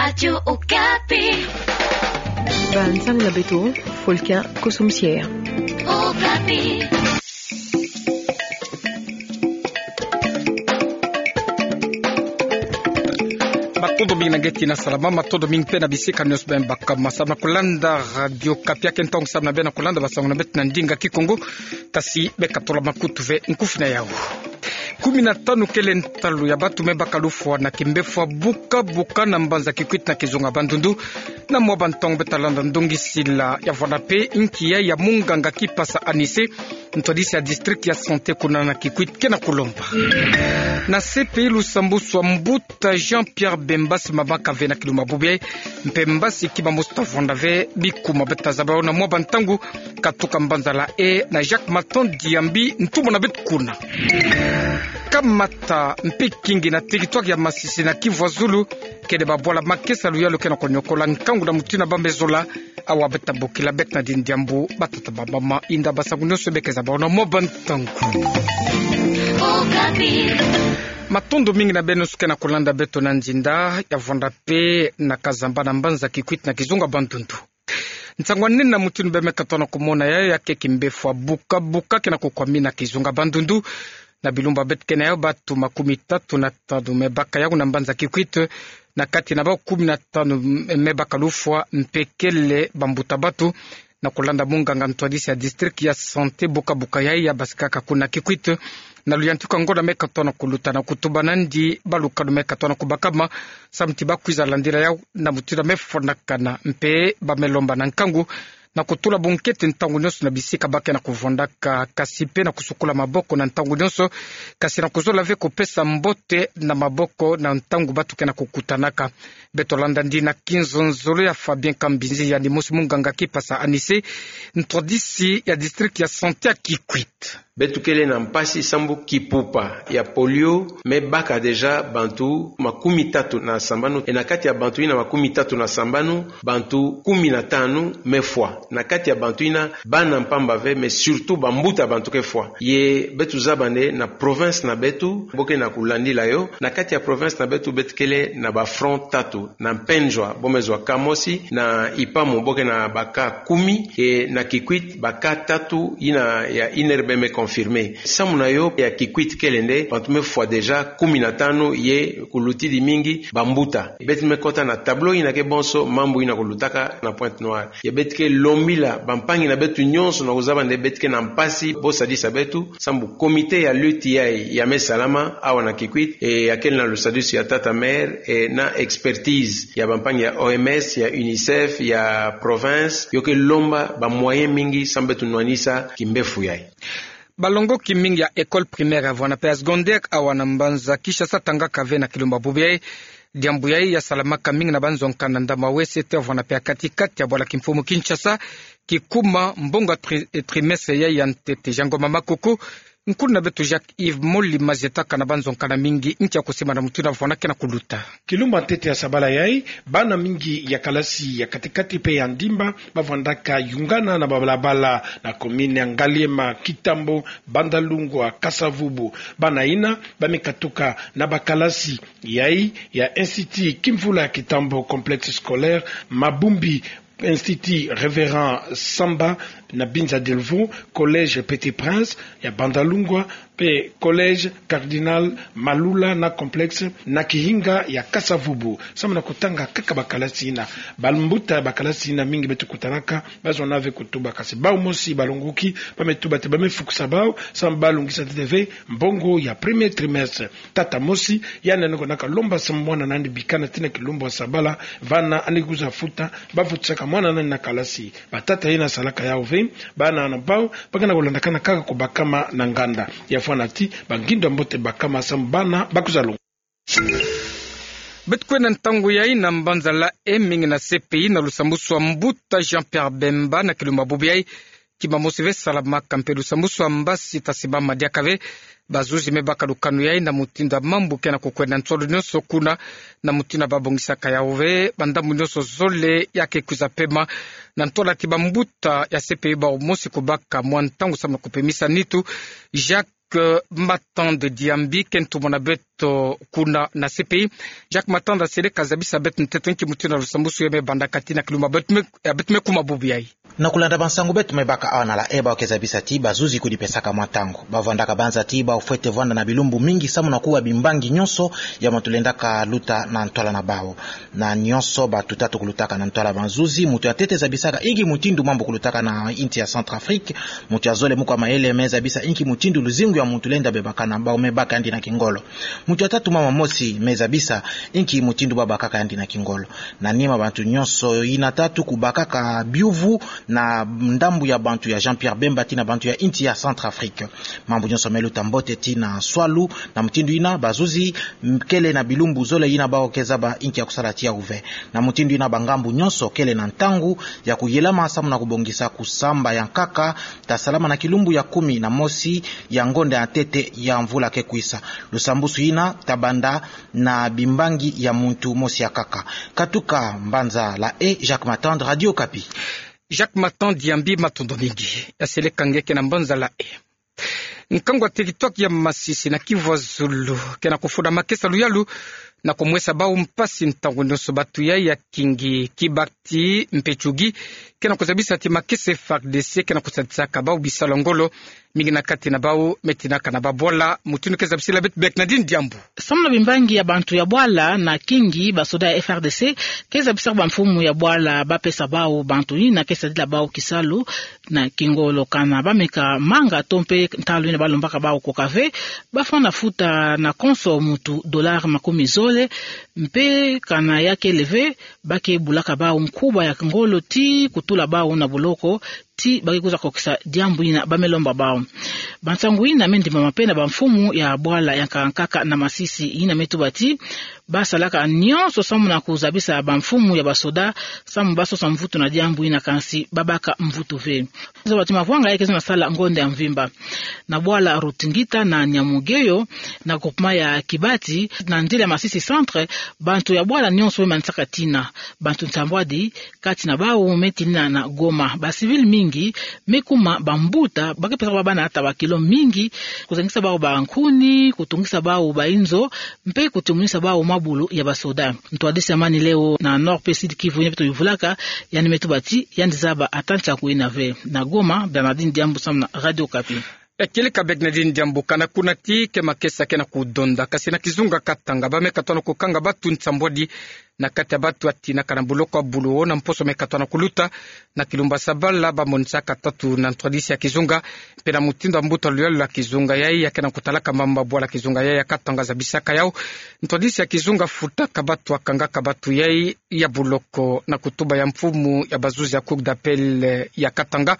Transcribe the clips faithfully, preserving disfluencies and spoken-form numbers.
Radio Okapi. Ba nsangu na beto, Folkia Kosomsier. Okapi. Matondo mingi na ngeti na salama, matondo mingi pe na bisika nyonso bima baka ma samu na kulanda Radio Okapi. Ake ntangu samu na beno kulanda bansangu na beto na ndinga Kikongo, tasi beka tola makutu ve nkufi na yau. Kumi na tanu kele ntalu ya bantu me baka lufwa na kimbefwa buka buka na mbanza Kikwit na kizunga Bandundu. Na mwa bantangu beta landa ndongisila ya vwanda pe nki ya munganga Kipasa Anise, ntwadisi ya district ya santé kuna na Kikwit, ke na kulomba. Na C P I, lusambuswa mbuta Jean-Pierre Bemba si mabaka ve na kilumbu bubu yai, mpe mbasi kima mosi ta vwanda ve, bikuma beta zaba yo na mwa bantangu, katuka mbanza La Haye na Jacques Matan Diambi, ntumwa na beto kuna. Kamata mpe kingi na territoire ya Masisi na Kivu ya Zulu, kele babwala makesa luyalu ke na konyokola nkangu na mutindu ba me zola, awa beta bokila beto na diambu, batata bamama, inda bansangu nyonso beke zaba yo na mwa bantangu. Matondo mingi na beno nyonso ke na kulanda beto na nzinda ya vwanda pe na Kazamba na mbanza Kikwit na kizunga Bandundu. Nsangu nini na mutindu bima meka tona kumona yai, ya ke kimbefwa buka buka ke na kukwami na kizunga Bandundu. Na bilumbu beto ke na yau, bantu makumi tatu na tanu me baka yau na mbanza Kikwit, na kati na bau kumi na tanu me baka lufwa, mpe kele bambuta bantu. Na kulanda munganga ntwadisi ya district ya santé buka buka yai ya basikaka kuna Kikwit, na luyantika ngonda meka tona kuluta na kutuba nandi balukanu meka tona kubakama, samu ti bakwiza landila yau na mutindu me fwanakana, mpe ba me lomba na nkangu na kutula bunkete ntangu nyonso na bisika ba ke na kuvwandaka, kasi pe na kusukula maboko na ntangu nyonso, kasi na kuzola ve kupesa mbote na maboko na ntangu bantu ke na kukutanaka. Beto landa nde na kinzonzolo ya Fabien Kambinzi, yandi mosi munganga Kipasa Anise, ntwadisi ya district ya santé ya Kikwit. Beto kele na mpasi sambu kipupa ya polio me baka déjà bantu makumi tatu na sambanu. E na kati ya bantu yina makumi tatu na sambanu, bantu kumi na tanu me fwa. Na kati ya bantu yina, bana mpamba ve, mais surtout bambuta bantu ke fwa. Ye beto zaba nde na province na beto, bo ke na kulandila yo, na kati ya province na beto, beto kele na ba front tatu. Na Mpendjoua bo me zwa cas mosi, na Ipamu bo ke na ba cas kumi, e na Kikwit ba cas tatu yina ya inere be me confirmé. Samu na yo, ya Kikwit kele nde bantu me fwa déjà kumi na tanu, ye kulutidi mingi bambuta. Beto me kota na tableau yina ke bonso mambu yina kulutaka na Pointe-Noire. Ye beto ke lombila bampangi na beto nyonso na kuzaba nde beto ke na mpasi, bo sadisa beto, sambu comité ya lutte yai ya me salama awa na Kikwit, e ya kele na lusadisu ya tata maire, e na expertise ya bampangi ya O M S, ya UNICEF, ya province, yo ke lomba ba moyen mingi sambu beto nwanisa kimbefu yai. Balongoki mingi ya école primaire ya vwanda pe ya secondaire awa na mbanza Kinshasa tangaka ve na kilumbu bubu yai. Diambu yai ya salamaka mingi na banzonka na Ndamawese, te ya vwanda pe ya kati-kati ya bwala kimfumu Kinshasa, kikuma mbongo ya tri-, trimestre yai ya ntete. Jean Ngoma Makoko, nkulu na beto Jacques Yves Moli Mazietaka na banzonka na mingi nki ya kusimba na mutindu ba vwanda ke na kuluta. Kilumbu ya ntete ya sabala yai, bana mingi ya kalasi ya kati-kati pe ya ndimba ba vwandaka yungana na babalabala na commune ya Ngaliema, Kitambo, Bandalungwa, Kasa-Vubu. Bana yina ba me katuka na bakalasi yai ya Institut Kimvula ya Kitambo, Complexe Scolaire Mabumbi, Institut Révérend Samba na Binza Delvaux, Collège Petit Prince ya Bandalungwa, pe Collège Cardinal Malula na Complexe na Kihinga ya Kasa-Vubu. Samu na kutanga kaka bakalasi yina. Bambuta ya bakalasi yina mingi beto kutanaka, ba zona ve kutuba, kasi bau mosi balongoki ba me tuba te ba me fukusa bau, samu ba lungisa ntete ve mbongo ya premier trimestre. Tata mosi, yandi yandi konaka lomba samu mwana na yandi bikana tii na kilumbu ya sabala, vana yandi kwiza futa, ba futisaka mwana na yandi na kalasi. Batata yina salaka yau ve, bana na bau ba ke na kulandakana kaka kubakama na nganda. Ya fwana ti ba ngindo ya mbote bakama samu bana ba kwiza longo. Beto kwenda ntangu yai na mbanza La Haye, mingi na C P I, na lusambuswa mbuta Jean-Pierre Bemba na kilumbu bubu yai. Kima mosi ve salamaka, mpe lusambuswa mbasi ta simama diaka ve. Bazuzi me baka lukanu yai na mutindu ya mambu ke na kukwenda nsolo nyonso kuna, na mutindu ba bongisaka yau ve, ba ndambu nyonso zole ya ke kwiza pema, na ntwala ti bambuta ya C P I bau mosi kubaka mwa ntangu samu na kupemisa nitu. Jacques Matande Diambi ke ntumwa na beto beto kuna na C P I. Jacques Matanda aseleka zabisa beto nteto inki mutindu lusambwasu ya me banda kati na kilumbu ya beto me, ya beto me kuma bubu yayi. Na kulanda bansangu beto me baka awa na La Haye, bawu ke zabisa ti bazuzi kudipesaka mwa ntangu. Bavwandaka banza ti bawu fwete vwanda na bilumbu mingi samu na kuwa bimbangi nyonso ya mwa tulendaka luta na ntwala na bawu. Na nyonso bato tatu kulutaka na ntwala bazuzi, mutu ya ntete zabisaka inki mutindu mambu kulutaka na insi ya Centrafrique, mutu ya zole mu kwa mayele me zabisa inki mutindu luzingu ya mutu lenda bebaka na bawu me baka yandi na kingolo. Mutu ya tatu mama mosi me zabisa inki mutindu babakaka yandi na kingolo. Na nima bantu nyonso yina tatu kubakaka biuvu na ndambu ya bantu ya Jean-Pierre Bemba tii na bantu ya insi ya Centrafrique. Mambu nyonso me luta mbote tii na swalu, na mutindu yina bazuzi kele na bilumbu zole yina bawu ke zaba inki ya kusala tii yawu ve. Na mutindu yina bangambu nyonso kele na ntangu ya kuyelama samu na kubongisa kusamba ya nkaka, ta salama na kilumbu ya kumi na mosi ya ngonda ya ntete ya mvula ke kwisa. Lusambwasu yina ta banda na bimbangi ya muntu mosi ya nkaka. Katuka mbanza La Haye, Jacques Matanda, Radio Okapi. Jacques Matanda, yambi matondo mingi. Aseleka nge ke na mbanza La Haye. Nkangu wa territoire ya Masisi na Kivu ya Zulu ke na kufunda makesa luyalu na kumwesa bawu mpasi ntangu nyonso. Bato yayi ya kingi Kibati mpe Tchougi ke na kuzabisa ti makesa F A R D C ke na kusadisaka bawu bisalu ya ngolo, mingi na kati na bawu me tinaka na babwala. Mutindu ke zabisila beto Bernardine Diambu. Samu na bimbangi ya bantu ya bwala na kingi, basoda ya F A R D C ke zabisaka bamfumu ya bwala bapesa bawu bantu yina ke sadila bawu kisalu na kingolo, kana bameka manga to mpe ntalu yina balombaka bawu koka ve, bafwana futa na konso mutu dollar makumi zole, mpe kana ya kele ve, ba ke bulaka bawu nkuba ya kingolo tii kutula bawu na boloko, tii ba ke kwiza kokisa diambu yina ba me lomba bawu. Bansangu yina me ndimbama mpe na bamfumu ya bwala ya nkaka na Masisi, yina me tuba ti ba salaka nyonso samu na kuzabisa bamfumu ya basoda samu ba sosa mvutu na diambu yina, kansi ba baka mvutu ve. Zoba ti mavwanga yayi ke zonza sala ngonda ya mvimba. Na bwala Rutingita na Nyamugeyo, na groupement ya Kibati, na nzila ya Masisi Centre, bantu ya bwala nyonso me manisaka tina. Bantu nsambwadi, kati na bawu me tinina na Goma. Ba civils mingi me kuma bambuta, ba ke pesaka ba bana ata ba kilo mingi, kuzangisa bawu bankuni, kutungisa bawu bainzo, mpe kutimunisa bawu mabulu ya basoda. Ntwadisi ya Mani Leo na Nord mpe Sud Kivu yina beto yuvulaka, yandi me tuba ti yandi zaba ata nsaku yina ve. Na Goma, Bernardine Diambu samu na Radio Okapi. Ekilika Bernardine Diambu. Kana kuna tii ke makesa ke na kudonda, kasi na kizunga Katanga ba me katono kukanga bato nsambwadi na kati ya bato ya tinaka na boloko ya bulu, na mposo me katono kuluta na kilumbu ya sabala, ba monisaka tatu na ntwadisi ya kizunga. Mpe na mutindu ya mbuta luyalu ya kizunga yayi ya ke na kutalaka mambu ya bwala, kizunga yayi ya Katanga zabisaka yawu, ntwadisi ya kizunga futaka bato ya kangaka bato yayi ya boloko, na kutuba ya mfumu ya bazuzi ya Cour d'appel ya Katanga,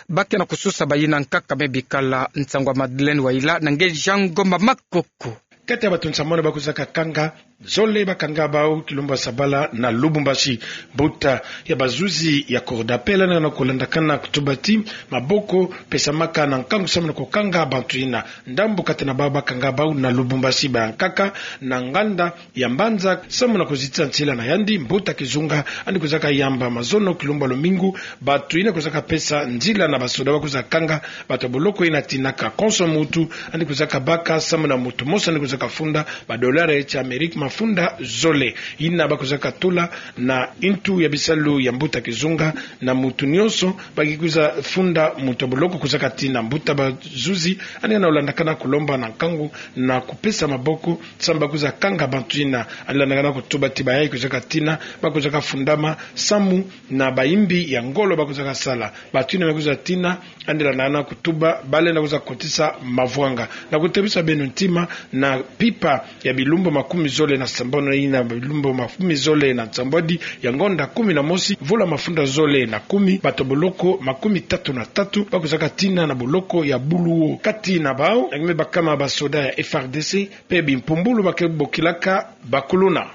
ba ke na kusosa bayina nkaka me bikala. Nsangu ya Madeleine Wayila na nge Jean Ngoma Makoko. Kati ya bato nsambwadi ba kwizaka kanga, zole ba kanga bawu kilumbu ya sabala na Lubumbashi. Mbuta ya bazuzi ya Cour d'appel yandi ke na kulandakana kutuba ti maboko pesamaka na nkangu samu na kukanga bato yina. Ndambu kati na bawu ba kanga bawu na Lubumbashi ba ya nkaka na nganda ya mbanza samu na kuzitisa nzila na yandi. Mbuta kizunga yandi kwizaka yamba mazono kilumbu ya lumingu bato yina kwizaka pesa nzila na basoda ba kwiza kanga bato ya boloko yina tinaka. Konso mutu yandi kwizaka baka samu na mutu mosi yandi kwizaka funda ba dollar ya Amerika mafunda zole. Yina ba kwizaka tula na ntu ya bisalu ya mbuta kizunga, na mutu nyonso ba ke kwiza funda mutu ya boloko kwizaka tina. Mbuta bazuzi yandi ke na kulandakana kulomba na nkangu na kupesa maboko samu ba kwiza kanga bato yina. Yandi landakana kutuba ti bayayi kwizaka tina, ba kwizaka fundama samu na bayimbi ya ngolo ba kwizaka sala. Bato yina ba kwiza tina, yandi landakana kutuba ba lenda kwiza kotisa mavwanga. Na kutebisa beno ntima, na mpimpa ya bilumbu makumi zole na sambanu yina bilumbu makumi zole na nsambwadi ya ngonda kumi na mosi, mvula mafunda zole na kumi, bato ya boloko makumi tatu na tatu ba kwizaka tina na boloko ya bulu. Kati na bawu, na nge me bakama basoda ya F A R D C, mpe bimpumbulu ba ke bokilaka bakuluna.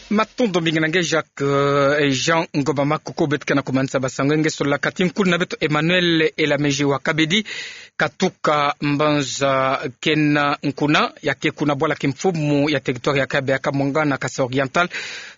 Matondo mingi na nge Jacques, eh, Jean Ngoma Makoko. Beto ke na kumanisa basango nge, sololaka ti nkuna na beto Emmanuel Elameji wa Kabedi, katuka mbanza kena nkuna, ya ke kuna bwala kimfumu ya territoire ya Kabe ya Kamwanga na Kasaï Oriental.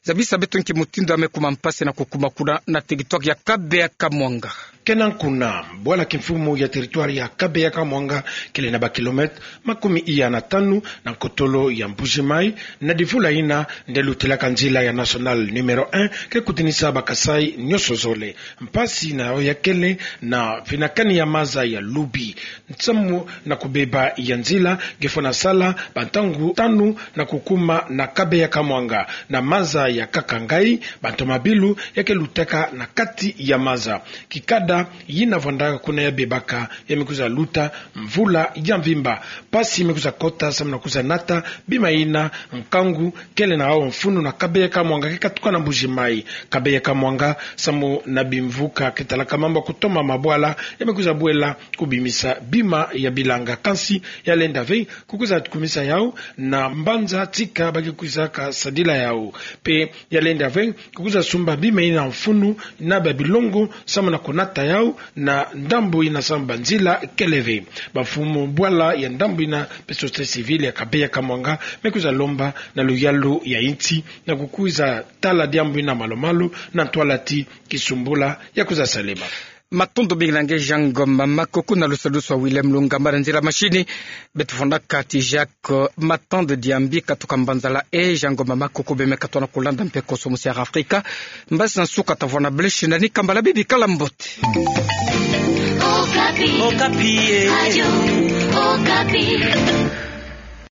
Zabisa beto nki mutindu ya me kuma mpasi na kukuma kuna na territoire ya Kabeya-Kamwanga. Kena kuna, bwala kimfumu ya territoire ya Kabeya-Kamwanga kele na ba kilomètre makumi iya na tanu na nkotolo ya Mbuji-Mayi, na divula ina nde lutilaka nzila ya nationale numéro un ke kutinisa ba Kasaï nyonso zole. Mpasi na yo ya kele na finakani ya maza ya Lubi. Nsamu na kubeba ya nzila nge fwana sala ba ntangu tanu na kukuma na Kabeya-Kamwanga, na maza ya Kakangayi, ba ntomabilu ya ke lutaka na kati ya maza. Kikada yina vwandaka kuna ya bebaka ya me kwiza luta mvula ya mvimba. Mpasi me kwiza kota samu na kwiza nata bima yina nkangu kele na hawu mfunu na Kabeya-Kamwanga ke katuka na Mbuji-Mayi. Kabeya-Kamwanga samu na bimvuka ke talaka mambu ya kutoma mabwala ya me kwiza bwela kubimisa bima ya bilanga, kansi ya lenda ve kukwiza kumisa yawu na mbanza tika ba ke kwizaka sadila yawu. Mpe ya lenda ve kukwiza sumba bima yina mfunu na ba bilongo samu na kunata yawu na ndambu yina samu ba nzila kele ve. Bamfumu bwala ya ndambu yina mpe société civile ya Kabeya-Kamwanga me kwiza lomba na luyalu ya insi na kukwiza tala diambu yina malu-malu na ntwala ti kisumbula ya kwiza salema. Matondo mingi na nge Jean Ngoma Makoko, na lusalusu wa Willem Lungamba na nzila machine. Beto fondaka ti Jacques Matande Diambi katuka Mbanza la E. Jean Ngoma Makoko, bie me katoa na kulanda mpe koso musi ya Afrika. Mbasi na nsuka tavwanda, blesi na ni kambala bibi, kala mbote. Okapi. Okapi, eh. Radio Okapi.